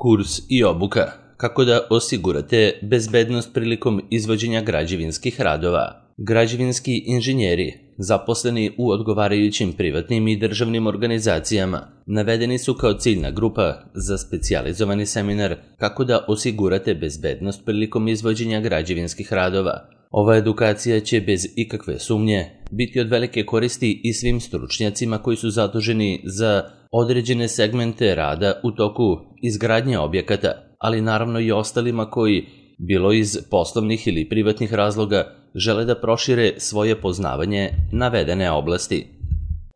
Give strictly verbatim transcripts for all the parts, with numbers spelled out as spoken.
Kurs i obuka. Kako da osigurate bezbednost prilikom izvođenja građevinskih radova. Građevinski inženjeri, zaposleni u odgovarajućim privatnim i državnim organizacijama, navedeni su kao ciljna grupa za specijalizovani seminar kako da osigurate bezbednost prilikom izvođenja građevinskih radova. Ova edukacija će bez ikakve sumnje biti od velike koristi i svim stručnjacima koji su zaduženi za određene segmente rada u toku izgradnje objekata, ali naravno i ostalima koji, bilo iz poslovnih ili privatnih razloga, žele da prošire svoje poznavanje navedene oblasti.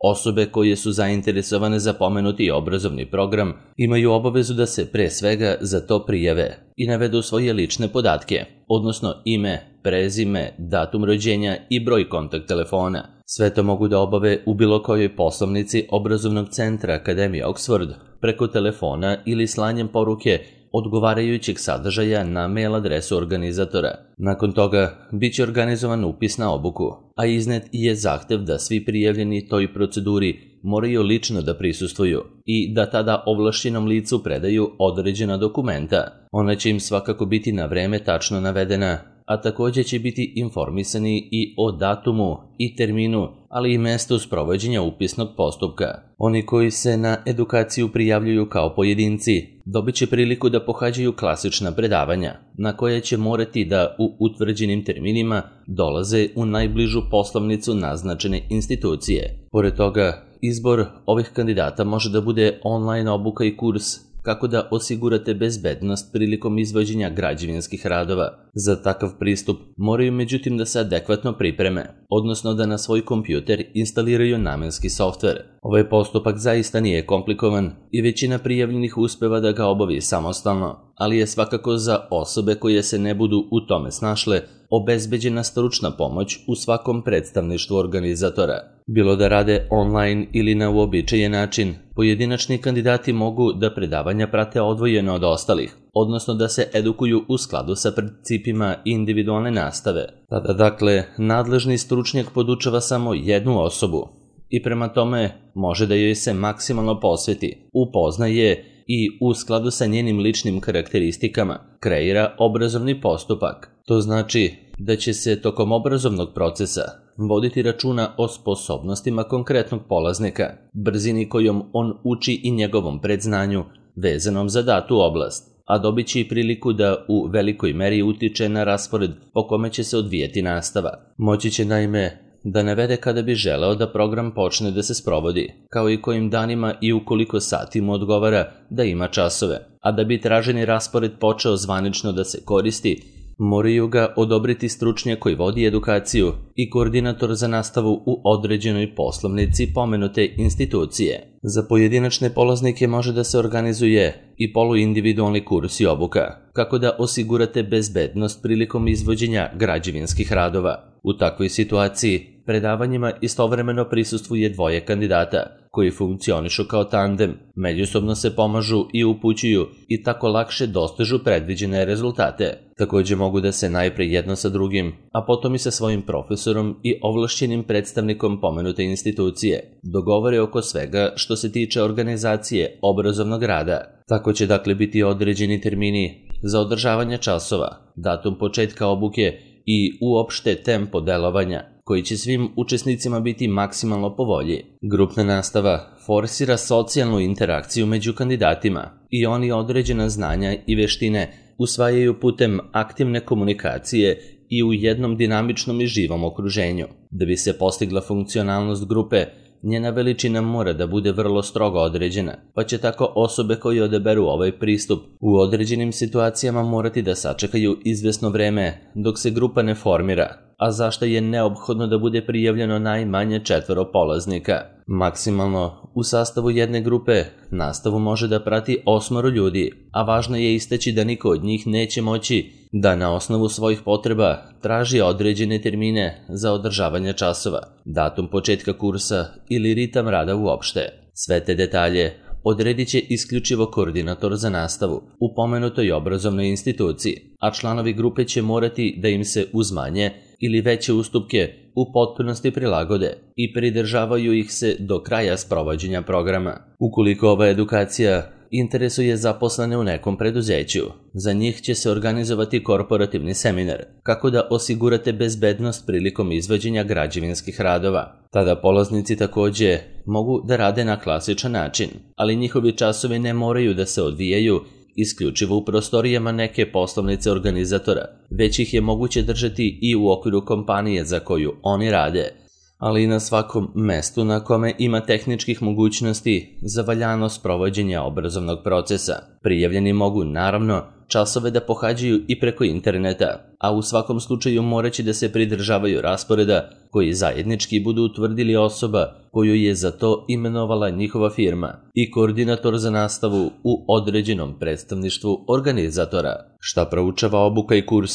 Osobe koje su zainteresovane za pomenuti obrazovni program imaju obavezu da se pre svega za to prijave i navedu svoje lične podatke, odnosno ime, prezime, datum rođenja i broj kontakt telefona. Sve to mogu da obave u bilo kojoj poslovnici obrazovnog centra Akademije Oxford preko telefona ili slanjem poruke odgovarajućeg sadržaja na mail adresu organizatora. Nakon toga biće organizovan upis na obuku, a iznet je zahtev da svi prijavljeni toj proceduri moraju lično da prisustvuju i da tada ovlašćenom licu predaju određena dokumenta. Ona će im svakako biti na vreme tačno navedena, a također će biti informisani i o datumu i terminu, ali i mestu sprovođenja upisnog postupka. Oni koji se na edukaciju prijavljuju kao pojedinci dobit će priliku da pohađaju klasična predavanja, na koje će morati da u utvrđenim terminima dolaze u najbližu poslovnicu naznačene institucije. Pored toga, izbor ovih kandidata može da bude online obuka i kurs kako da osigurate bezbednost prilikom izvođenja građevinskih radova. Za takav pristup moraju međutim da se adekvatno pripreme, odnosno da na svoj kompjuter instaliraju namenski softver. Ovaj postupak zaista nije komplikovan i većina prijavljenih uspeva da ga obavi samostalno, ali je svakako za osobe koje se ne budu u tome snašle obezbeđena stručna pomoć u svakom predstavništvu organizatora. Bilo da rade online ili na uobičajen način, pojedinačni kandidati mogu da predavanja prate odvojeno od ostalih, odnosno da se edukuju u skladu sa principima individualne nastave. Tada dakle, nadležni stručnjak podučava samo jednu osobu i prema tome može da joj se maksimalno posveti, upoznaje i u skladu sa njenim ličnim karakteristikama kreira obrazovni postupak. To znači da će se tokom obrazovnog procesa voditi računa o sposobnostima konkretnog polaznika, brzini kojom on uči i njegovom predznanju vezanom za datu oblast, a dobit će i priliku da u velikoj meri utiče na raspored po kome će se odvijeti nastava. Moći će naime da navede kada bi želeo da program počne da se sprovodi, kao i kojim danima i u koliko sati mu odgovara da ima časove, a da bi traženi raspored počeo zvanično da se koristi, moraju ga odobriti stručnjak koji vodi edukaciju i koordinator za nastavu u određenoj poslovnici pomenute institucije. Za pojedinačne polaznike može da se organizuje i poluindividualni kurs i obuka, kako da osigurate bezbednost prilikom izvođenja građevinskih radova. U takvoj situaciji predavanjima istovremeno prisustvuje dvoje kandidata, koji funkcionišu kao tandem, međusobno se pomažu i upućuju i tako lakše dostižu predviđene rezultate. Također mogu da se najpre jedno sa drugim, a potom i sa svojim profesorom i ovlašćenim predstavnikom pomenute institucije dogovore oko svega što se tiče organizacije obrazovnog rada. Tako će dakle biti određeni termini za održavanje časova, datum početka obuke i uopšte tempo delovanja, koji će svim učesnicima biti maksimalno po volji. Grupna nastava forsira socijalnu interakciju među kandidatima i oni određena znanja i veštine usvajaju putem aktivne komunikacije i u jednom dinamičnom i živom okruženju. Da bi se postigla funkcionalnost grupe, njena veličina mora da bude vrlo strogo određena, pa će tako osobe koje odaberu ovaj pristup u određenim situacijama morati da sačekaju izvesno vreme dok se grupa ne formira, a zašto je neophodno da bude prijavljeno najmanje četvoro polaznika. Maksimalno u sastavu jedne grupe nastavu može da prati osmoro ljudi, a važno je istaći da niko od njih neće moći da na osnovu svojih potreba traži određene termine za održavanje časova, datum početka kursa ili ritam rada uopšte. Sve te detalje odredit će isključivo koordinator za nastavu u pomenutoj obrazovnoj instituciji, a članovi grupe će morati da im se uz manje ili veće ustupke u potpunosti prilagode i pridržavaju ih se do kraja sprovođenja programa. Ukoliko ova edukacija interesuje zaposlene u nekom preduzeću. Za njih će se organizovati korporativni seminar kako da osigurate bezbednost prilikom izvođenja građevinskih radova. Tada polaznici također mogu da rade na klasičan način, ali njihovi časovi ne moraju da se odvijaju isključivo u prostorijama neke poslovnice organizatora, već ih je moguće držati i u okviru kompanije za koju oni rade, ali i na svakom mestu na kome ima tehničkih mogućnosti za valjanost provođenja obrazovnog procesa. Prijavljeni mogu, naravno, časove da pohađaju i preko interneta, a u svakom slučaju moraće da se pridržavaju rasporeda koji zajednički budu utvrdili osoba koju je za to imenovala njihova firma i koordinator za nastavu u određenom predstavništvu organizatora. Šta proučava obuka i kurs?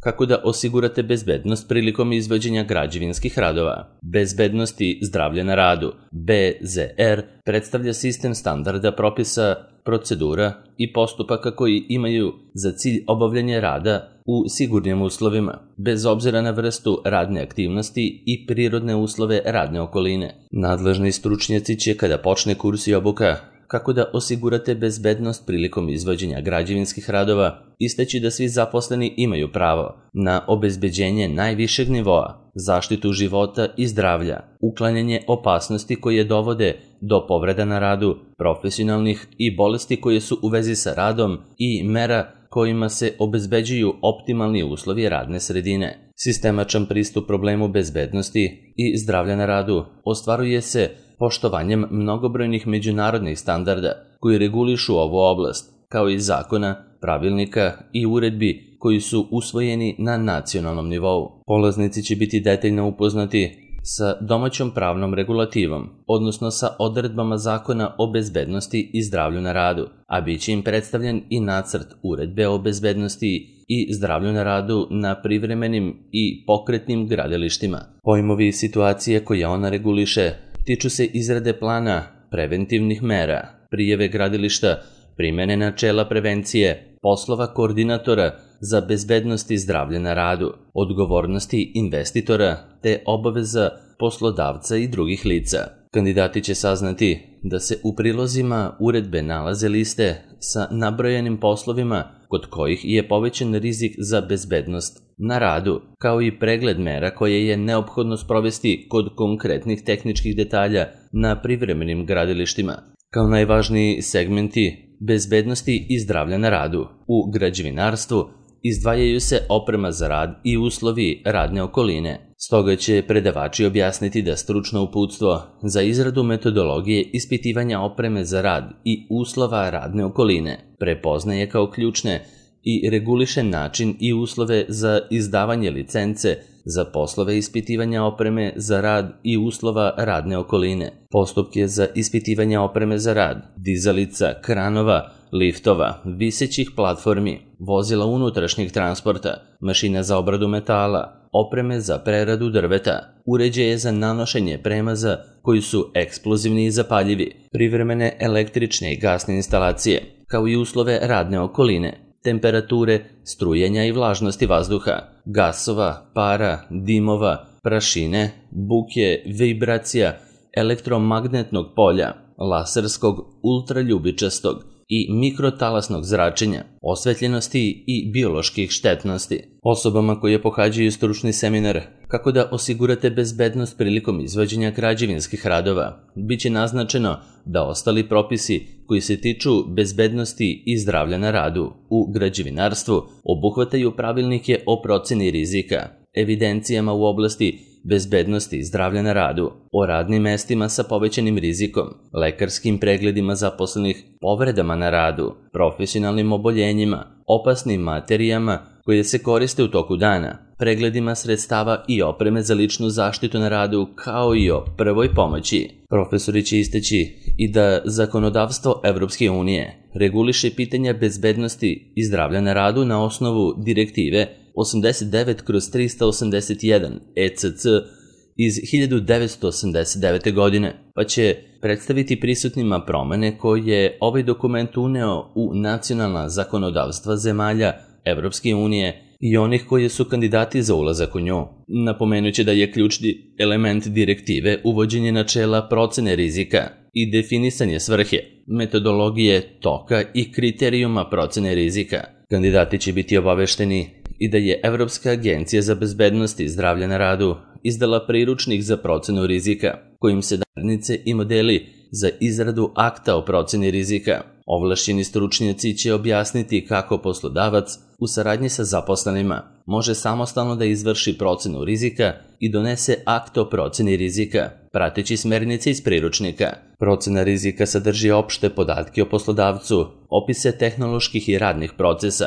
Kako da osigurate bezbednost prilikom izvođenja građevinskih radova? Bezbednost i zdravlje na radu, B Z R, predstavlja sistem standarda propisa, procedura i postupaka koji imaju za cilj obavljanje rada u sigurnim uslovima, bez obzira na vrstu radne aktivnosti i prirodne uslove radne okoline. Nadležni stručnjaci će, kada počne kurs i obuka, kako da osigurate bezbednost prilikom izvođenja građevinskih radova, istaći da svi zaposleni imaju pravo na obezbeđenje najvišeg nivoa, zaštitu života i zdravlja, uklanjanje opasnosti koje dovode do povreda na radu, profesionalnih i bolesti koje su u vezi sa radom i mera kojima se obezbeđuju optimalni uslovi radne sredine. Sistemačan pristup problemu bezbednosti i zdravlja na radu ostvaruje se poštovanjem mnogobrojnih međunarodnih standarda koji regulišu ovu oblast, kao i zakona, pravilnika i uredbi koji su usvojeni na nacionalnom nivou. Polaznici će biti detaljno upoznati sa domaćom pravnom regulativom, odnosno sa odredbama zakona o bezbednosti i zdravlju na radu, a bit će im predstavljen i nacrt uredbe o bezbednosti i zdravlju na radu na privremenim i pokretnim gradilištima. Pojmovi i situacije koje ona reguliše tiču se izrade plana preventivnih mera, prijave gradilišta, primene načela prevencije, poslova koordinatora za bezbednost i zdravlje na radu, odgovornosti investitora te obaveza poslodavca i drugih lica. Kandidati će saznati da se u prilozima uredbe nalaze liste sa nabrojenim poslovima kod kojih je povećan rizik za bezbednost na radu, kao i pregled mera koje je neophodno sprovesti kod konkretnih tehničkih detalja na privremenim gradilištima. Kao najvažniji segmenti bezbednosti i zdravlja na radu u građevinarstvu izdvajaju se oprema za rad i uslovi radne okoline. Stoga će predavači objasniti da stručno uputstvo za izradu metodologije ispitivanja opreme za rad i uslova radne okoline prepoznaje kao ključne i reguliše način i uslove za izdavanje licence za poslove ispitivanja opreme za rad i uslova radne okoline, postupke za ispitivanje opreme za rad, dizalica, kranova, liftova, visećih platformi, vozila unutrašnjeg transporta, mašina za obradu metala, opreme za preradu drveta, uređaje za nanošenje premaza koji su eksplozivni i zapaljivi, privremene električne i gasne instalacije, kao i uslove radne okoline, temperature, strujenja i vlažnosti vazduha, gasova, para, dimova, prašine, buke, vibracija, elektromagnetnog polja, laserskog, ultraljubičastog i mikrotalasnog zračenja, osvetljenosti i bioloških štetnosti. Osobama koje pohađaju stručni seminar kako da osigurate bezbednost prilikom izvođenja građevinskih radova, bit će naznačeno da ostali propisi koji se tiču bezbednosti i zdravlja na radu u građevinarstvu obuhvataju pravilnike o proceni rizika, evidencijama u oblasti bezbednosti i zdravlja na radu, o radnim mestima sa povećanim rizikom, lekarskim pregledima zaposlenih, povredama na radu, profesionalnim oboljenjima, opasnim materijama koje se koriste u toku dana, pregledima sredstava i opreme za ličnu zaštitu na radu, kao i o prvoj pomoći. Profesori će istaći i da zakonodavstvo Evropske unije reguliše pitanja bezbednosti i zdravlja na radu na osnovu direktive osamdeset devet kroz trista osamdeset jedan E C C iz hiljadu devetsto osamdeset devete. godine, pa će predstaviti prisutnima promene koje je ovaj dokument uneo u nacionalna zakonodavstva zemalja Evropske unije i onih koji su kandidati za ulazak u nju. Napomenuće da je ključni element direktive uvođenje načela procene rizika i definisanje svrhe, metodologije, toka i kriterijuma procene rizika. Kandidati će biti obavešteni i da je Evropska agencija za bezbednost i zdravlje na radu izdala priručnik za procenu rizika, kojim se smernice i modeli za izradu akta o proceni rizika. Ovlašćeni stručnjaci će objasniti kako poslodavac u saradnji sa zaposlenima može samostalno da izvrši procenu rizika i donese akt o proceni rizika, prateći smernice iz priručnika. Procena rizika sadrži opšte podatke o poslodavcu, opise tehnoloških i radnih procesa,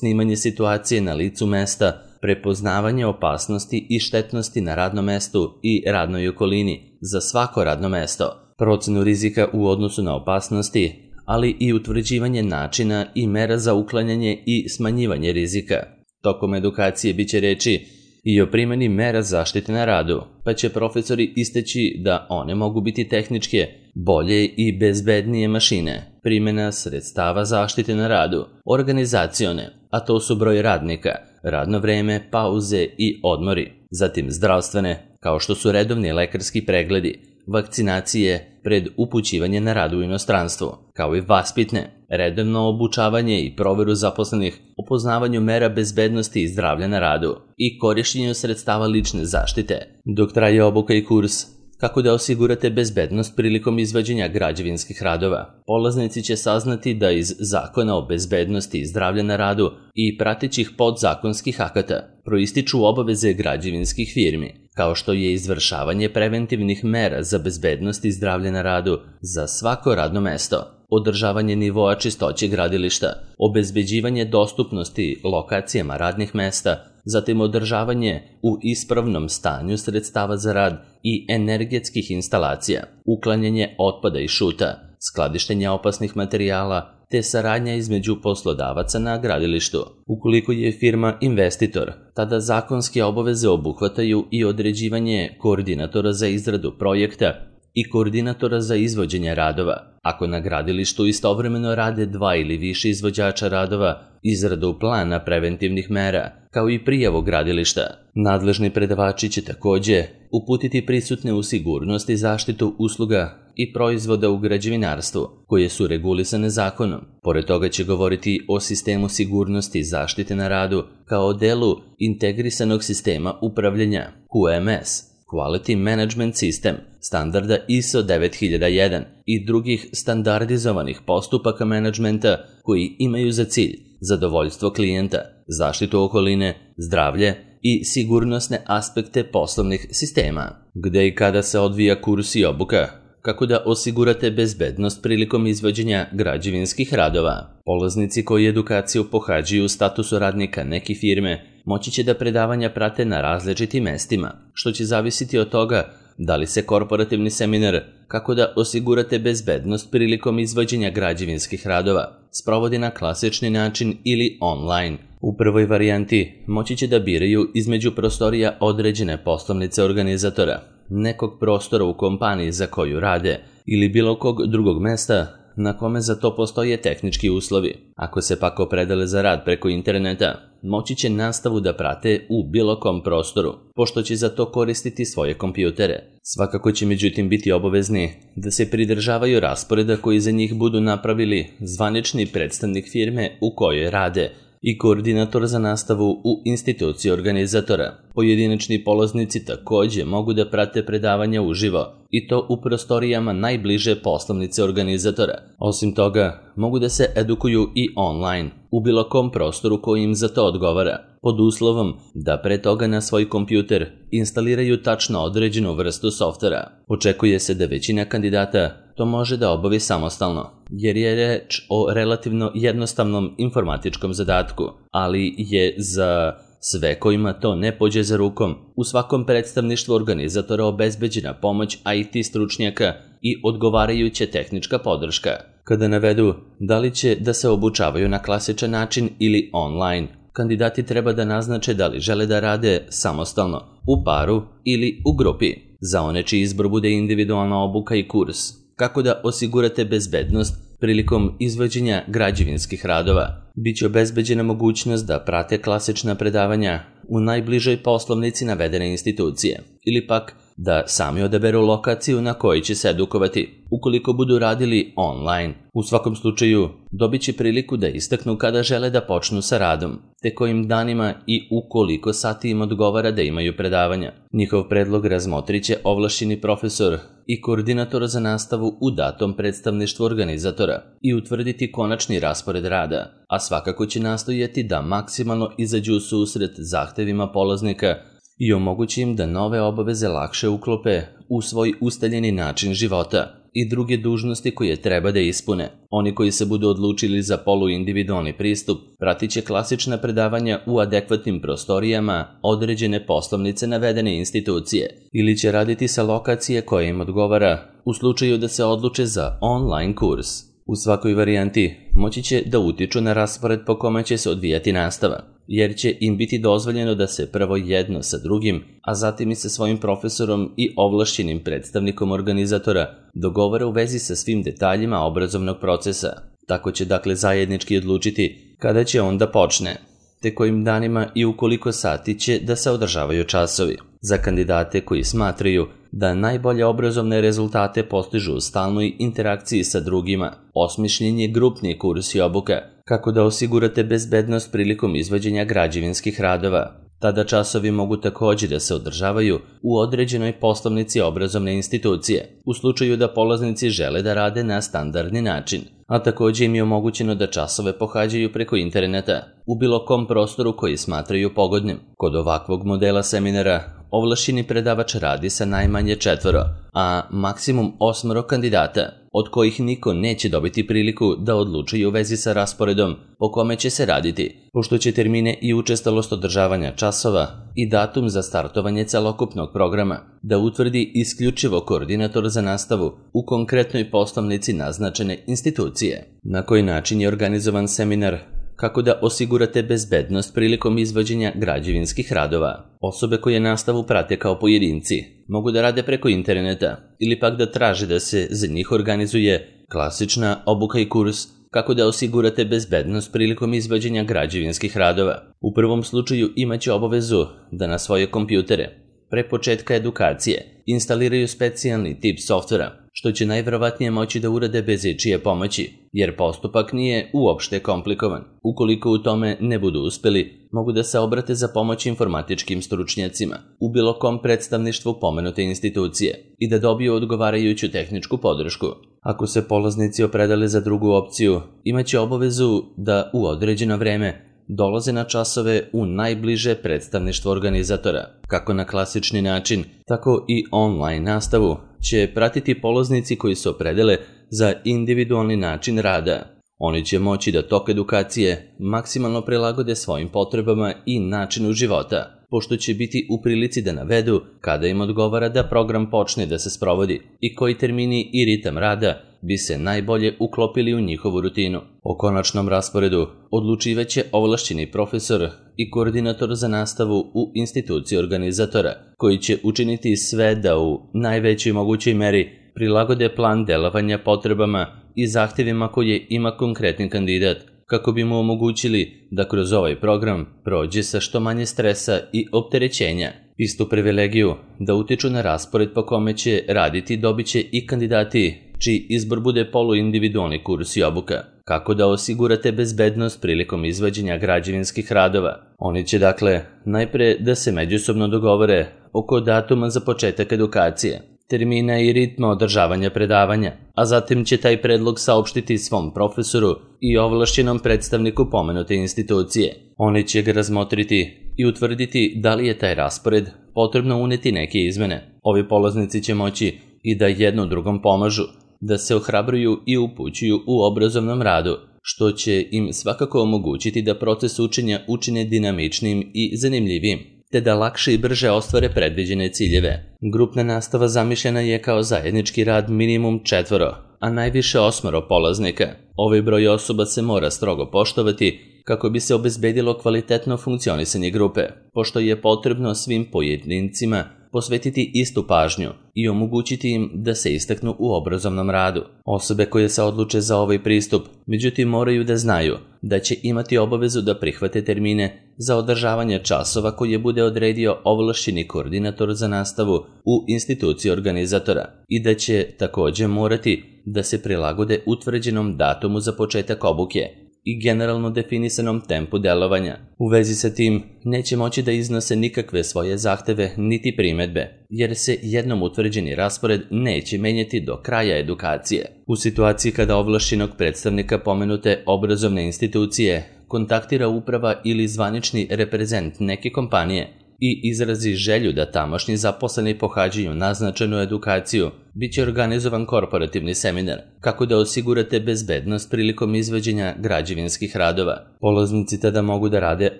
snimanje situacije na licu mesta, prepoznavanje opasnosti i štetnosti na radnom mestu i radnoj okolini za svako radno mesto, procenu rizika u odnosu na opasnosti, ali i utvrđivanje načina i mera za uklanjanje i smanjivanje rizika. Tokom edukacije biće reči i o primjeni mera zaštite na radu, pa će profesori istaći da one mogu biti tehničke, bolje i bezbednije mašine, primjena sredstava zaštite na radu, organizacione, a to su broj radnika, radno vreme, pauze i odmori, zatim zdravstvene, kao što su redovni lekarski pregledi, vakcinacije pred upućivanje na rad u inostranstvu, kao i vaspitne, redovno obučavanje i proveru zaposlenih o poznavanju mera bezbednosti i zdravlja na radu i korišćenju sredstava lične zaštite. Dok traje obuka i kurs kako da osigurate bezbednost prilikom izvođenja građevinskih radova, polaznici će saznati da iz Zakona o bezbednosti i zdravlja na radu i pratećih podzakonskih akata proističu obaveze građevinskih firmi, kao što je izvršavanje preventivnih mera za bezbednost i zdravlje na radu za svako radno mesto, održavanje nivoa čistoće gradilišta, obezbeđivanje dostupnosti lokacijama radnih mesta, zatim održavanje u ispravnom stanju sredstava za rad i energetskih instalacija, uklanjanje otpada i šuta, skladištenje opasnih materijala, te saradnja između poslodavaca na gradilištu. Ukoliko je firma investitor, tada zakonske obaveze obuhvataju i određivanje koordinatora za izradu projekta i koordinatora za izvođenje radova. Ako na gradilištu istovremeno rade dva ili više izvođača radova, izradu plana preventivnih mera, kao i prijavu gradilišta. Nadležni predavači će takođe uputiti prisutne u sigurnost i zaštitu usluga i proizvoda u građevinarstvu, koje su regulisane zakonom. Pored toga će govoriti o sistemu sigurnosti i zaštite na radu kao delu integrisanog sistema upravljanja Q M S, Quality Management System, standarda I S O devet hiljada jedan i drugih standardizovanih postupaka menadžmenta koji imaju za cilj zadovoljstvo klijenta, zaštitu okoline, zdravlje i sigurnosne aspekte poslovnih sistema. Gde i kada se odvija kurs i obuka, kako da osigurate bezbednost prilikom izvođenja građevinskih radova. Polaznici koji edukaciju pohađaju u statusu radnika neke firme moći će da predavanja prate na različitim mestima, što će zavisiti od toga da li se korporativni seminar kako da osigurate bezbednost prilikom izvođenja građevinskih radova sprovodi na klasični način ili online. U prvoj varijanti moći će da biraju između prostorija određene poslovnice organizatora, nekog prostora u kompaniji za koju rade ili bilo kog drugog mesta na kome za to postoje tehnički uslovi. Ako se pak opredele za rad preko interneta, moći će nastavu da prate u bilo kom prostoru, pošto će za to koristiti svoje kompjutere. Svakako će međutim biti obavezni da se pridržavaju rasporeda koji za njih budu napravili zvanični predstavnik firme u kojoj rade i koordinator za nastavu u instituciji organizatora. Pojedinačni polaznici takođe mogu da prate predavanja uživo i to u prostorijama najbliže poslovnice organizatora. Osim toga, mogu da se edukuju i online, u bilo kom prostoru koji im za to odgovara, pod uslovom da pre toga na svoj kompjuter instaliraju tačno određenu vrstu softvera. Očekuje se da većina kandidata to može da obavi samostalno, jer je reč o relativno jednostavnom informatičkom zadatku, ali je za sve kojima to ne pođe za rukom, u svakom predstavništvu organizatora obezbeđena pomoć I T stručnjaka i odgovarajuća tehnička podrška. Kada navedu da li će da se obučavaju na klasičan način ili online, kandidati treba da naznače da li žele da rade samostalno, u paru ili u grupi. Za one čiji izbor bude individualna obuka i kurs, kako da osigurate bezbednost prilikom izvođenja građevinskih radova, biće obezbeđena mogućnost da prate klasična predavanja u najbližoj poslovnici navedene institucije ili pak da sami odaberu lokaciju na kojoj će se edukovati, ukoliko budu radili online. U svakom slučaju, dobit će priliku da istaknu kada žele da počnu sa radom, te kojim danima i u koliko sati im odgovara da imaju predavanja. Njihov predlog razmotrit će ovlašćeni profesor i koordinator za nastavu u datom predstavništvu organizatora i utvrditi konačni raspored rada, a svakako će nastojati da maksimalno izađu u susret zahtevima polaznika i omogući im da nove obaveze lakše uklope u svoj ustaljeni način života i druge dužnosti koje treba da ispune. Oni koji se budu odlučili za poluindividualni pristup pratit će klasična predavanja u adekvatnim prostorijama određene poslovnice navedene institucije ili će raditi sa lokacije koja im odgovara u slučaju da se odluče za online kurs. U svakoj varijanti moći će da utiču na raspored po kome će se odvijati nastava, jer će im biti dozvoljeno da se prvo jedno sa drugim, a zatim i sa svojim profesorom i ovlašćenim predstavnikom organizatora dogovore u vezi sa svim detaljima obrazovnog procesa. Tako će dakle zajednički odlučiti kada će on da počne, te kojim danima i u koliko sati će da se održavaju časovi. Za kandidate koji smatraju da najbolje obrazovne rezultate postižu u stalnoj interakciji sa drugima, osmišljen je grupni kurs i obuka, kako da osigurate bezbednost prilikom izvođenja građevinskih radova. Tada časovi mogu također da se održavaju u određenoj poslovnici obrazovne institucije, u slučaju da polaznici žele da rade na standardni način, a također im je omogućeno da časove pohađaju preko interneta u bilo kom prostoru koji smatraju pogodnim. Kod ovakvog modela seminara ovlašćeni predavač radi sa najmanje četvoro, a maksimum osmoro kandidata, od kojih niko neće dobiti priliku da odlučuje u vezi sa rasporedom po kome će se raditi, pošto će termine i učestalost održavanja časova i datum za startovanje celokupnog programa da utvrdi isključivo koordinator za nastavu u konkretnoj poslovnici naznačene institucije. Na koji način je organizovan seminar? Kako da osigurate bezbednost prilikom izvođenja građevinskih radova? Osobe koje nastavu prate kao pojedinci mogu da rade preko interneta ili pak da traže da se za njih organizuje klasična obuka i kurs kako da osigurate bezbednost prilikom izvođenja građevinskih radova. U prvom slučaju imaće obavezu da na svoje kompjutere pre početka edukacije instaliraju specijalni tip softvera, što će najverovatnije moći da urade bez ičije pomoći, jer postupak nije uopšte komplikovan. Ukoliko u tome ne budu uspeli, mogu da se obrate za pomoć informatičkim stručnjacima u bilo kom predstavništvu pomenute institucije i da dobiju odgovarajuću tehničku podršku. Ako se polaznici opredele za drugu opciju, imaće obavezu da u određeno vreme dolaze na časove u najbliže predstavništvo organizatora. Kako na klasični način, tako i online nastavu će pratiti polaznici koji se opredele za individualni način rada. Oni će moći da tok edukacije maksimalno prilagode svojim potrebama i načinu života, pošto će biti u prilici da navedu kada im odgovara da program počne da se sprovodi i koji termini i ritam rada bi se najbolje uklopili u njihovu rutinu. O konačnom rasporedu odlučivaće ovlašćeni profesor i koordinator za nastavu u instituciji organizatora, koji će učiniti sve da u najvećoj mogućoj meri prilagode plan delovanja potrebama i zahtjevima koje ima konkretni kandidat, kako bi mu omogućili da kroz ovaj program prođe sa što manje stresa i opterećenja. Istu privilegiju da utiču na raspored po kome će raditi dobit će i kandidati čiji izbor bude poluindividualni kurs i obuka. Kako da osigurate bezbednost prilikom izvođenja građevinskih radova? Oni će dakle najpre da se međusobno dogovore oko datuma za početak edukacije, termina i ritma održavanja predavanja, a zatim će taj predlog saopštiti svom profesoru i ovlašćenom predstavniku pomenute institucije. Oni će ga razmotriti i utvrditi da li je taj raspored potrebno uneti neke izmene. Ovi polaznici će moći i da jedno drugom pomažu, da se ohrabruju i upućuju u obrazovnom radu, što će im svakako omogućiti da proces učenja učine dinamičnim i zanimljivim, te da lakše i brže ostvare predviđene ciljeve. Grupna nastava zamišljena je kao zajednički rad minimum četvoro, a najviše osmoro polaznika. Ovaj broj osoba se mora strogo poštovati kako bi se obezbedilo kvalitetno funkcionisanje grupe, pošto je potrebno svim pojedincima posvetiti istu pažnju i omogućiti im da se istaknu u obrazovnom radu. Osobe koje se odluče za ovaj pristup, međutim, moraju da znaju da će imati obavezu da prihvate termine za održavanje časova koje bude odredio ovlašćeni koordinator za nastavu u instituciji organizatora i da će takođe morati da se prilagode utvrđenom datumu za početak obuke i generalno definisanom tempu delovanja. U vezi sa tim neće moći da iznose nikakve svoje zahteve niti primedbe, jer se jednom utvrđeni raspored neće menjati do kraja edukacije. U situaciji kada ovlašćenog predstavnika pomenute obrazovne institucije kontaktira uprava ili zvanični reprezent neke kompanije i izrazi želju da tamošnji zaposleni pohađaju naznačenu edukaciju, bit će organizovan korporativni seminar kako da osigurate bezbednost prilikom izvođenja građevinskih radova. Polaznici tada mogu da rade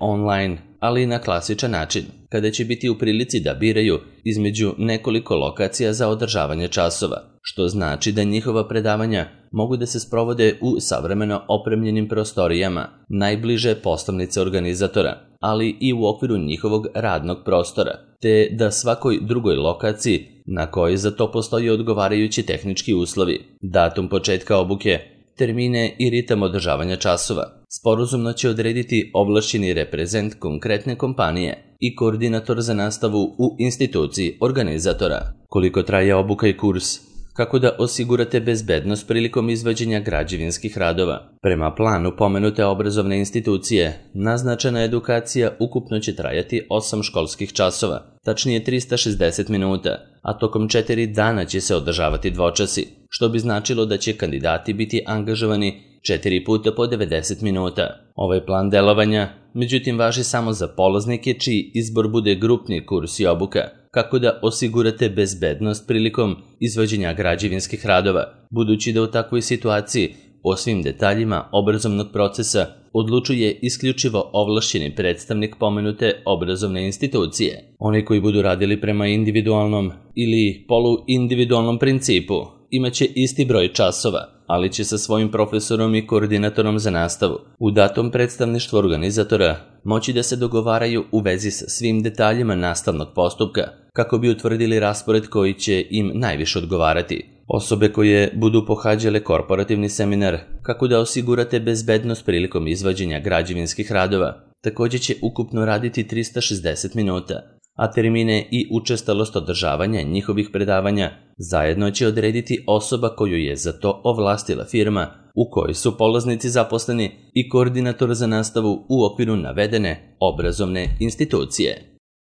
online, ali i na klasičan način, kada će biti u prilici da biraju između nekoliko lokacija za održavanje časova, što znači da njihova predavanja mogu da se sprovode u savremeno opremljenim prostorijama najbliže poslovnice organizatora, ali i u okviru njihovog radnog prostora, te da svakoj drugoj lokaciji na kojoj za to postoji odgovarajući tehnički uslovi, datum početka obuke, termine i ritam održavanja časova sporazumno će odrediti ovlašćeni reprezent konkretne kompanije i koordinator za nastavu u instituciji organizatora. Koliko traje obuka i kurs? Kako da osigurate bezbednost prilikom izvođenja građevinskih radova? Prema planu pomenute obrazovne institucije, naznačena edukacija ukupno će trajati osam školskih časova, tačnije trista šezdeset minuta, a tokom četiri dana će se održavati dvočasi, što bi značilo da će kandidati biti angažovani četiri puta po devedeset minuta. Ovaj plan delovanja, međutim, važi samo za polaznike čiji izbor bude grupni kurs i obuka, kako da osigurate bezbednost prilikom izvođenja građevinskih radova, budući da u takvoj situaciji o svim detaljima obrazovnog procesa odlučuje isključivo ovlašćeni predstavnik pomenute obrazovne institucije. Oni koji budu radili prema individualnom ili poluindividualnom principu imaće isti broj časova, ali će sa svojim profesorom i koordinatorom za nastavu u datom predstavništvu organizatora moći da se dogovaraju u vezi sa svim detaljima nastavnog postupka, kako bi utvrdili raspored koji će im najviše odgovarati. Osobe koje budu pohađale korporativni seminar kako da osigurate bezbednost prilikom izvođenja građevinskih radova, takođe će ukupno raditi trista šezdeset minuta, a termine i učestalost održavanja njihovih predavanja zajedno će odrediti osoba koju je za to ovlastila firma u kojoj su polaznici zaposleni i koordinator za nastavu u okviru navedene obrazovne institucije.